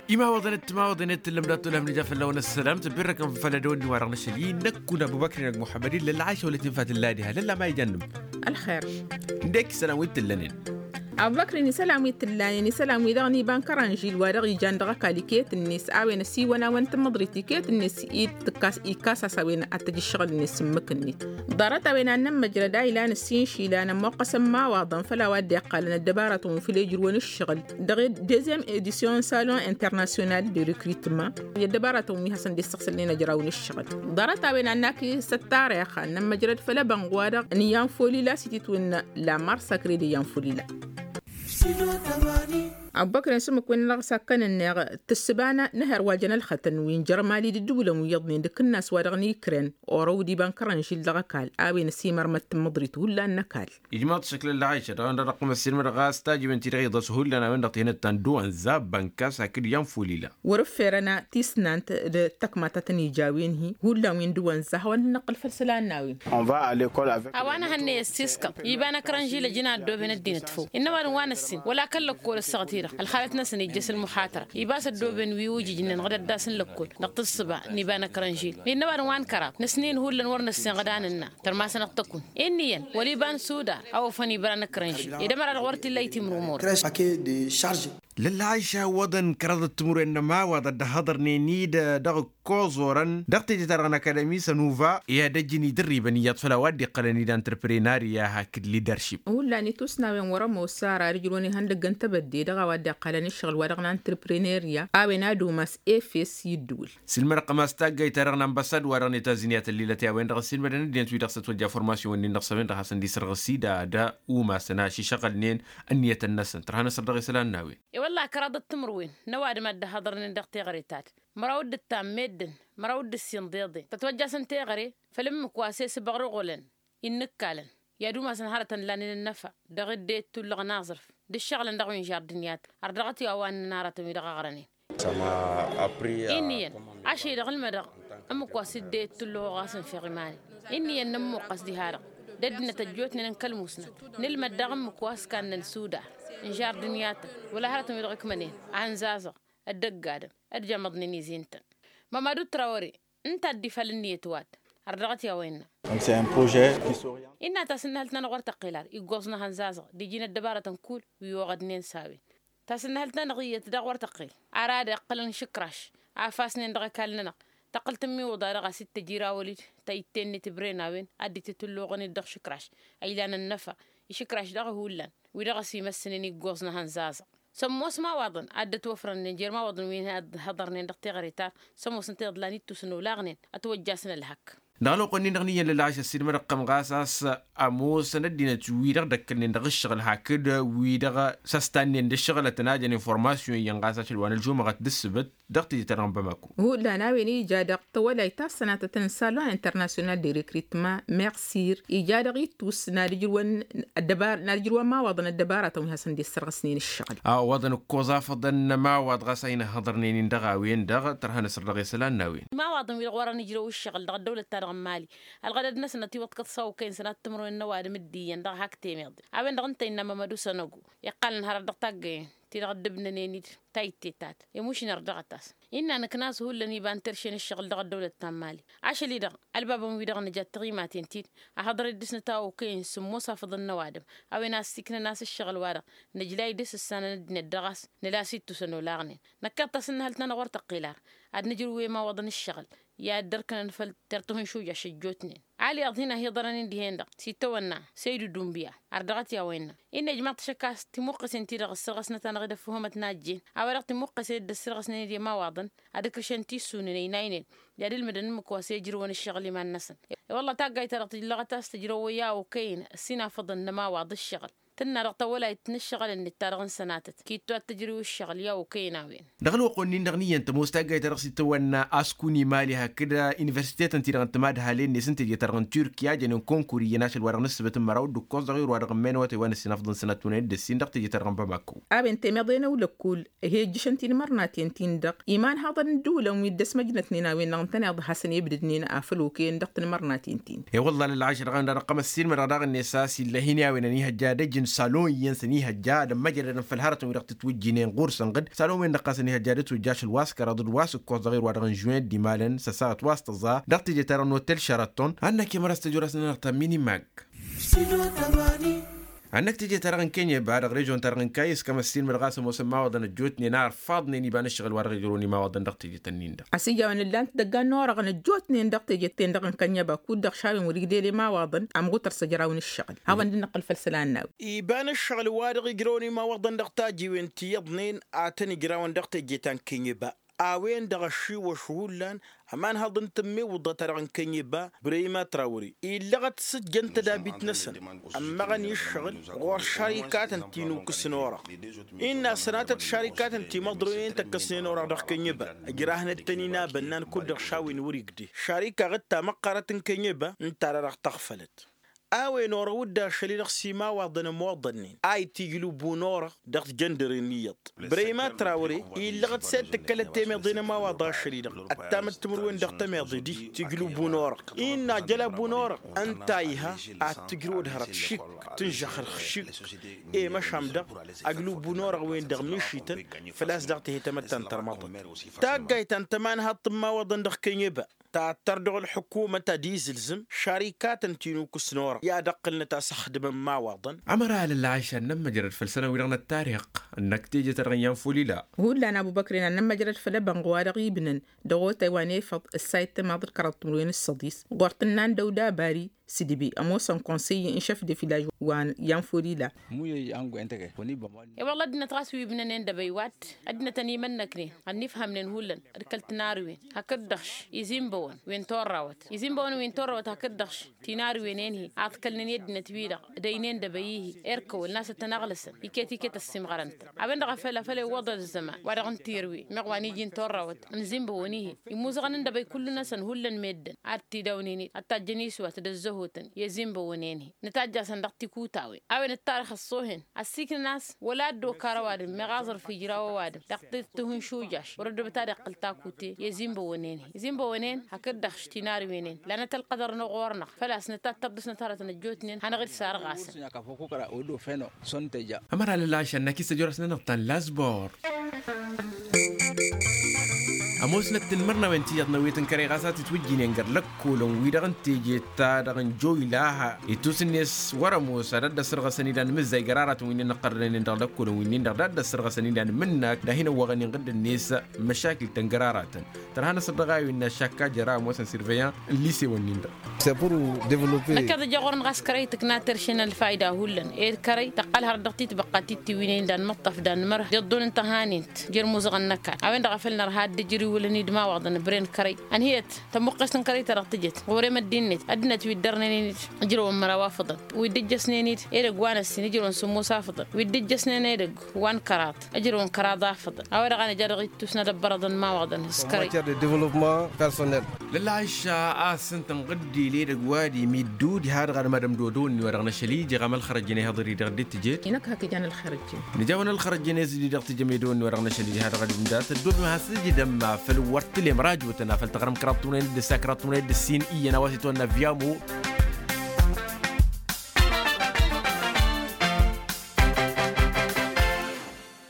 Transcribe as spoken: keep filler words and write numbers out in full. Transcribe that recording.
Imawăḍăn d-timawăḍen i-tǝllăm dat-olămnija fălla-wăn ăssălam tǝbbirrăkăn făll-ădăwănni wa dăɣ-năšăl-i-năkkun ăbubăkri n-ăgg muḥămmăd-i lălɣayša wăla tinfa tǝllad iha lălla ma ijan-nǝm. Ălxer. Ǝndek isălan wi t-tǝllănen. Ăbubăkri n-isălan wi t-tǝllănen isălan wi dăɣ-niba n-kărănžil wa dăɣ-ijan dăɣ-ăkall iket-net a-wen ăsiwăn-awăn tǝmmăḍrit iket-net. Ikkas-as a-wen ad-tăj ǝššăɣǝl-net s-ǝmmǝk-net. Ḍarăt-a-wen ad-nămmăjrăd a ilan ǝssin išilan ămmoqqăsăn imawaḍăn făll-a-wa dd-iqqalăn ăddăbarătăn wi făll-ejrǝwăn ǝššăɣǝl dăɣ-dezem edisyon salon internasyonal de rikritma. I-ăddăbarătăn wi hasăn-dd-issăɣsălnen ăjraw n-ǝššăɣǝl. Ḍarăt-a-wen ad-nak s-ăttarix ad-nămmăjrăd făll-ebănɣ-wa-dăɣ n-iyyăn folila s-ititwǝnna la marsa kre d-iyyăn folila. Ăbbăkren s-ǝmmǝk-wen-dăɣ s-ad-kănănneɣ tǝssǝba n-ehăr wa jăn ălxătăn wi n-jărmali d-ǝddǝwǝlăn wi iyyăḍnen d-akǝnnas wa dăɣ-nikren orăw d-iba n-kărănžil dăɣ-ăkall a-wen ăsimărmăt tǝmmǝḍrit hullan n-ăkall. Ijmaḍ šăkl ălɣayša dăɣ-ănn dăɣ-tăqqǝm ăssiilmădăɣ a-s tajǝwen-ti-dăɣ iḍăs hullan a-wen-dăɣ tihănăt ta n-dăwăn zabbăn kas hakd iyyăn folila. Wăr-ǝfferăn tisnant d-tăkma ta tăn-ija a-wen-hi hullan wi n-dăwăn za hawăn-dd-năqqǝl făll-isălan n-a-wen. A-wa n-ehănnăy ăssiskăḍ iba n-ăkrănžil ăjǝn a ăddooben ăddinăt făw innă ăwadǝm wa n-ăssin wăla kăl-lăkkol ăssaɣăt-i-dăɣ ălxalăt-năsăn ijjăs ălmuḥatăra iba s-ăddooben wi ujǝjnen ɣǝd ăddas n-lăkkol dăɣ-tǝssǝba n-iba n-ăkrănžil innă ăwadǝm wa n-kăraḍ năsnen hullan wăr năssin ɣǝd a nǝnna tărmasăn ad-tăkun. Inn'-iyyăn wăla iba n-sudar a ofăn ibra n-ăkrănžil ed ămăra-dăɣ wăr t-illa itimrǝw murăt. Lălla aša iwwăḍăn kăraḍăt timǝrwen n-ămawaḍ ad-dd-ăhhăḍărnen-dd dăɣ-ǝkkoẓ orăn dăɣ-teje-ta-dăɣ n-akadămi s-ănuva i-ad-ăjjǝn idărribăn iyyăḍ făll-a-wa dd-iqqălăn idan tǝrpăre n-arya hakd lideršip. Hullan itusnawen wăr-ămoos ara ad-ǝjrǝwăn ihăndăgg n-tebădde dăɣ-a-wa dd-iqqălăn ǝššăɣǝl wa dăɣ-nantǝrpăre n-arya a-wen ad-umas efes i-ǝddǝwǝl. Sǝlmădăɣ-tăm a-s taggayt-ta-dăɣ n-anbăsad wa dăɣ-net aziniyat ăllilăt i-a-wen-dăɣ ăssiilmădăn ăddinăt-wi-dăɣ s-ătwăjja formasyon-wen-dăɣ s-a-wen-dăɣ hasăn-dd-isărɣǝs-dd ad-umasăn ašăɣǝlnen ǝnniyătăn-năsăn tărha n-asăr dăɣ-isălan n-a-wen. I-wălla kăraḍăt timǝrwen n-ăwadǝm a dd-ăhhăḍărnen dăɣ-teɣăre ta d-măraw d-ǝttam meddǝn măraw d-ǝssin d-iḍen tătwăjjasăn teɣăre făll-ǝmmǝk wa s-e-s ǝbăɣrăɣolăn innǝkkalăn i-ad-umasăn hărătăn lanen ănnăfa dăɣ-dd-e-dd tulluɣăn aẓrǝf d-ǝššăɣǝlăn dăɣ-wi n-žardǝnyat ărdăɣăt i-a-wa ǝnnăn aratăn-wi-dăɣ ăɣrănen. Inn'-iyyăn ašăl-i-dăɣ ǝlmădăɣ ǝmmǝk wa s-dd-e-dd tulluɣ ɣas n-fiɣ iman-i. Inn'-iyyăn nǝmmuqqăs diha-dăɣ d-ăddinăt ăjjootnen n-kăl-musnăt nǝlmăd daɣ ǝmmǝk wa s-kannăn sudar n-žardǝnyatăn wăla hărătăn-wi-dăɣ ǝkmănen ahǝnzazăɣ ăddăgg adǝm ăddămăḍnen izi ǝntăn. Mămadu trawăre ǝnta a dd-ifal ǝnniyăt wa-dd ărdăɣăt i-a-wa innă. Innă tasǝnnăhălt-nănăɣ wăr tăqqel ar iggoẓ n-ahănzazăɣ d-iji n-ăddăbarătăn kull wi oɣădnen s-a-wen. Tasǝnnăhălt-nănăɣ iyyăt daɣ wăr tăqqel ar ad-iqqălăn išǝkraš a fasnen dăɣ-ăkall-nănăɣ tăqqǝl tǝmmiwǝḍa dăɣ-a-s t-tăjrawăl-dd ta itte-net ǝbren a-wen ad-dd-itǝtǝlluɣăn-dd dăɣ-išǝkraš a ilan ănnăfa išǝkraš daɣ hullan wi dăɣ-s imăssnen iggoẓ n-ahănzazăɣ. Sămmos imawaḍăn a dd-ătwăfrănnen jer-imawaḍăn wi n-ad-hăḍărnen dăɣ-teɣăre ta sămmos ǝnta iḍlan ittusăn olaɣnen ătwăjjasăn ălhăk. Dăɣ-ălwăqq-wen-in-dăɣ n-iyyăn lălɣaš ăssiilmădăɣ-tăm ɣas a-s ămoosăn ăddinăt wi-dăɣ dd-ăkkălnen dăɣ-ǝššăɣǝl hakd wi-dăɣ s-ăstannen d-ǝššăɣǝlătăn a jăn informasyon-iyyăn ɣas ašăl wa n-ălžumăɣăt d-ǝssǝbǝt dăɣ-teje-ta-dăɣ n-bamako. Hullan a-wen ija dăɣ-tawălayt ta s-sănatăt n-salon internasyonal de rekrutma meɣsir ija dăɣ-ittus n-ad-ǝjrǝwăn imawaḍăn ăddăbaratăn wi hasăn-dd-issărɣǝsnen ǝššăɣǝl. A ăwwăḍăn ǝkkoẓ afăḍăn n-ămawaḍ ɣas a hin-ăhhăḍărnen-in dăɣ-a-wen-dăɣ tărha n-asăr dăɣ-e isălan n-a-wen. Imawaḍăn wi-dăɣ wărăn ijrăw ǝššăɣǝl dăɣ-ăddăwlăt-ta-dăɣ n-mali ălɣădăd-năsăn ătiwăḍkăḍ s-a okăyăn sănat timǝrwen n-ăwadǝm d-iyyăn dăɣ-hak temeḍe. A-wen-dăɣ ǝnta innă mămădu sănăgu iqqalăn hărăt dăɣ-taggăyen ti-dăɣ dd-ǝbnănen-dd ta ittetat i-mušner dăɣ-ătas. Innă nǝknas hullan iba n-terše n-ǝššăɣǝl dăɣ-ăddăwlăt ta n-mali ašăl-i-dăɣ ălbabăn-wi-dăɣ nǝja d-tiɣimaten-ti-dd ăhhăḍăr-dd dăr-s nǝtawăw kăyăn sǝmmos afăḍăn n-ăwadǝm. A-wen a ăssiiknăn a-s ǝššăɣǝl-wa-dăɣ nǝjlay dăr-s ǝssanăn ăddinăt dăɣ-a-s nǝla a-s ittusăn olaɣnen. Năkkeḍ tasǝnnăhălt-nănăɣ wăr tăqqel ar ad-nǝjrǝw i-imawaḍăn ǝššăɣǝl i-ad-dd-ărkănăn făll-tertǝhǝnšuj ašăjjootnen. Ali iyyăḍ hin-ăhiḍărăn-in dihen-dăɣ s-itawănna săydu dunbiya ărdăɣăt i-a-wa innă. Innă ijmaḍ-t ašăk a-s timuqqăsen-ti-dăɣ ǝssărɣăsnăt-anăɣ-dd ăffuhămăt n-ajjen a-wa-dăɣ timuqqăsen dd-ăssărɣăsnen d-imawaḍăn ad-ǝkrǝšăn tissunen ăynaynen i-ad-ǝlmǝdăn ǝmmǝk wa s-ejrǝwăn ǝššăɣǝl iman-năsăn. I-wălla taggayt-ta-dăɣ tǝjlăɣăt a-s tǝjrăwăy a okăyăn ăssinafăḍăn n-ămawaḍ ǝššăɣǝl tǝnna dăɣ-tawălayt n-ǝššăɣǝl-net ta dăɣ-n sănatăt kittu ad-tǝjrǝw ǝššăɣǝl i-a okăyăn a-wen. Dăɣ-ălwăqq-wen-in-dăɣ n-iyyăn tămoos taggayt-ta-dăɣ s-itawănna askunimali hakd universitetăn-ti-dăɣ n-timadhalen-net n-teje-ta-dăɣ n-turkiya jănen konkuri iyyăn ašăl wa dăɣ-nǝssǝbǝt n-măraw d-ǝkkoẓ dăɣ-iru wa dăɣ-ǝmmen awătay wa n-ăssinafḍăn sănattunen d-ăssin dăɣ-teje-ta-dăɣ n-bamako. A-wen temeḍe n-ăwlăkkul ih' ejjǝšăn tinmărnaten-tin-dăɣ iman haḍăn n-dd-ulăn wi dd-ăsmăjnătnen a-wen-dăɣ ǝntăneḍ hasăn-ebdǝdnen afăl okăyăn dăɣ-tinmărnaten-tin. E-wălla lălɣayš dăɣ-ănn dăɣ-năqqăm ăssiilmădăɣ daɣ-net a-s ill'-e hin-i a-wen ănihăjja ad-ăjjǝn Salon iyyăn s-ănihăjja ad-ămmăjrădăn făll-hărătăn wi-dăɣ tǝtwǝjjǝynen ɣur-săn ɣǝd salon-wen-dăɣ ɣas ănihăjja d-ătwǝjja ašăl wa s-kăraḍ d-wa s-ǝkkoẓ dăɣ-e-ru wa dăɣ-n žuin d-imalăn s-ăsaɣăt wa s-tăẓẓa dăɣ-teje-ta-dăɣ n-otel šăraton. Ad-năkk i-măra s-tăjorăsnănăɣ ta minimag. Ad-năkk teje-ta-dăɣ n-kenyeba dăɣ-režon-ta-dăɣ n-kayǝs kămăssin mădɣas ămoosăn imawaḍăn ăjjootnen a ărfaḍnen iba n-ǝššăɣǝl wa dăɣ-ijrăwăn imawaḍăn dăɣ-teje-tăn-in-dăɣ. Asǝjjawăn ǝllan-t idăggan n-orăɣăn ăjjootnen dăɣ-teje-ten-dăɣ n-kănyăba kud-dăɣ šawen wăr-igdel imawaḍăn ămɣutăr s-ăjrawăn ǝššăɣǝl. Hawăn-dd-năqqǝl făll-isălan n-a-wen. Iba n-ǝššăɣǝl wa dăɣ-ijrăwăn imawaḍăn dăɣ-tajiwen ti iyyăḍnen a tăn-ǝjrawăn dăɣ-teje ta n-kănyăba. A-wen-dăɣ ăššiwăš hullan ămanhăḍ n-tǝmmiwǝḍăt-ta-dăɣ n-kănyăba brăyma trawre illăɣăt s-ǝjjăn tădabit-năsăn ămmăɣăn i-ǝššăɣǝl ɣur-šarikatăn ti n-ukǝs n-orăɣ. Innă sănatăt šarikatăn timăḍronen tăkkăsnen orăɣ dăɣ-kănyăba ǝjrahnăt-tăn-in abănnan kud-dăɣ šawen wăr-igde šarikaɣ d-tamăqqarăt n-kănyăba ǝnta-dăɣ tăɣfălăt. A-wen orăw-dd ašăl-i-dăɣ s-imawaḍăn ămoḍănnen a itijlǝbu n-orăɣ dăɣ-tijăndăren iyyăḍ. Brăyma trawre illăɣăt s-e d-tǝkkălăt temeḍe n-ămawaḍ ašăl-i-dăɣ ăttamăt timǝrwen dăɣ-temeḍe d-tijlǝbu n-orăɣ innă ajăl abu n-orăɣ ǝnta a iha ad-tǝjrǝwăd hărăt šik tǝnžăxrăx šik. I-măšan-dăɣ ajlǝbu n-orăɣ-wen-dăɣ mišităn făl-a-s dăɣ-tihăy tamăttant tărmăḍăt. Taggayt ta n-tămanhaḍt n-imawaḍăn dăɣ-kănyăba tattăr dăɣ-ălḥǝkumăt ad-izǝlzǝm šarikatăn ti n-ukǝs n-orăɣ i-ad-ǝqqǝlnăt a-s ăxdǝmăn imawaḍăn. Ămăra alălɣayš ad-nămmăjrăd făll-isălan-wi-dăɣ n-ăttarix ănnak teje-ta-dăɣ n-iyyăn făw lila. Hullan abu băkren ad-nămmăjrăd făll-ebănɣ wa dăɣ-ibnăn dăɣ-otay wa n-efăḍ ǝssayǝt tamaḍt kăraḍ timǝrwen s-săḍis ɣur-tǝnna n-dăwda bari s-idǝbe ămoosăn konsey n-šef de filaj wa n-iyyăn făw lila. I-wălla ăddinăt ɣas wi ǝbnănen d-ebăy wa-dd ăddinăt ănimănnăknen ănnifhămnen hullan d-kăl-tinarǝwen hakd-dăɣ-š izimbăwăn wi n-torrawăt izimbăwăn wi n-torrawăt hakd-dăɣ-š tinarǝwen-en-hi ad-kălnen i-ăddinăt-wi-dăɣ dăynen d-ebăy-hi erkăwăl n-asăt tăn-aɣlăsăn iket-iket ăssiimɣărăn-tăn. A-wen-dăɣ a făl a făl iwwăḍăd ăzzăman wa dăɣ-n tirǝwen meɣ wa n-iji n-torrawăt n-izimbăwăn-hi immuzăɣăn n-dăbăy kullu-năsăn hullan meddǝn ad-t idawnen-dd ad-tajjăn iswat d-ăzzăhotăn i-ăzimbăwăn-en-hi nǝtajj'-asăn dăɣ-tikutawen. A-wen ăttarix ăṣṣoohen ăssiiknăn a-s wăla ăddookarăn ăwadǝm meɣ aẓrǝf ijraw ăwadǝm dăɣ-tihǝnšujaš wăr-ăddobăt ad-iqqǝl takute i-ăzimbăwăn-en-hi. Izimbăwăn-en hakd-dăɣ-š tinarǝwen-en lanăt ălqădăr-năɣ ɣur-năɣ făl-a-s nǝtattăr dăɣ-s nătarăt n-ăjjootnen hanăɣ-dd-sarɣasăn. Ămăra lălɣayš ad-năkk isăjorăsnănăɣ ta n-lazbor. Ămoosnăt tinmărnawen ti iyyăḍ n-ăwwet n-kărăy ɣas a tǝtwǝjjǝynen găr-lăkkolăn-wi-dăɣ n-teje ta dăɣ-n joyla ha ittus-net wăr-ămoos ad-ăddăsărɣăsăn ilan mǝzzay găraratăn wi n-inăqqărrănen dăɣ-lăkkolăn wi n-indăɣ d-ad-ăddăsărɣăsăn ilan mǝnnăk d-ad-hin-ăwwăɣăn inɣǝddǝn-net. Măšakil-tăn găraratăn tărha-năsăn dăɣ-a-wen n-ašakka jăra ămoosăn sirveyan n-lisewăn-nin-dăɣ. Năkk ad-ăjja ɣur-năɣ a-s kărăy tǝkna terše n-ălfayda hullan ed kărăy tăqqăl hărăt dăɣ-titbăqqa tittiwǝynen d-anmăṭṭăf d-anmărh d-iḍḍun n-tăhanint jer-imuzăɣăn n-ăkall. A-wen-dăɣ a făl nărha ad-dd-ǝjrǝwǝlăn-dd imawaḍăn ǝbren kărăy ănhǝyăt tămmuqqest n-kărăy-ta-dăɣ tǝjăt ɣur-emăddi-net ăddinăt wi dd-ărnen-in-dd ǝjrăwăn măraw afăḍăn wi dd-ǝjjăsnen-dd edăgg wa n-ăssin ǝjrăwăn sǝmmos afăḍăn wi dd-ǝjjăsnen edăgg wa n-kăraḍ ǝjrăwăn kăraḍ afăḍăn. A-wa-dăɣ a nǝja dăɣ-ittus n-ad-ăbbărăḍăn imawaḍăn s-kărăy. Lălɣayš a-s ǝnta ǝnɣǝddil edăgg wa d-imiddu diha-dăɣ ad-madăm dodon-ni wa dăɣ-năšăl ija iɣam ălxărăjjăn ihăḍăr-i dăɣ-dd-tǝjed. Inăk hak ijan ălxărăjjăn. Nǝja-wăn ălxărăjjăn i-s dd-dăɣ-tǝjăm edon-ni wa dăɣ-năšăl ija ha dăɣ-ad-dd-nǝja tăddoobem has-ǝjǝdăm făll-wăr tǝlem rajotăn a făl tăɣrăm kăraḍ timǝrwen d-ǝssa kăraḍ timǝrwen d-ǝssin iyyăn a-wa s-itwănna viamo.